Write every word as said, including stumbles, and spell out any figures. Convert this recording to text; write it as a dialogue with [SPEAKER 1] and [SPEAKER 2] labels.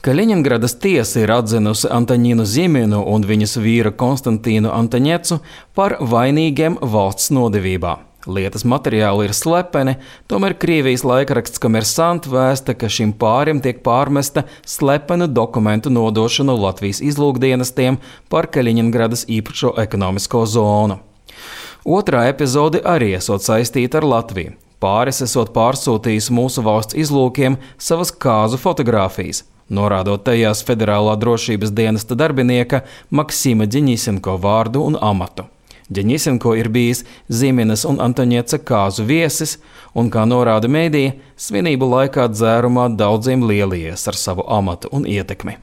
[SPEAKER 1] Kaļiņingradas tiesa ir atzinusi Antaņinu Ziminu un viņas vīru Konstantīnu Antaņecu par vainīgiem valsts nodevībā. Lietas materiāli ir slepeni, tomēr Krievijas laikraksts Komersant vēsta, ka šim pārim tiek pārmesta slepenu dokumentu nodošanu Latvijas izlūkdienestiem par Kaļiņingradas īpašo ekonomisko zonu. Otrā epizode arī esot saistīta ar Latviju. Pāris esot pārsūtījis mūsu valsts izlūkiem savas kāzu fotogrāfijas, norādot tajās federālā drošības dienesta darbinieka Maksima Deņisenko vārdu un amatu. Deņisenko ir bijis Ziminas un Antaņeca kāzu viesis un, kā norāda mēdīja, svinību laikā dzērumā daudziem lielījies ar savu amatu un ietekmi.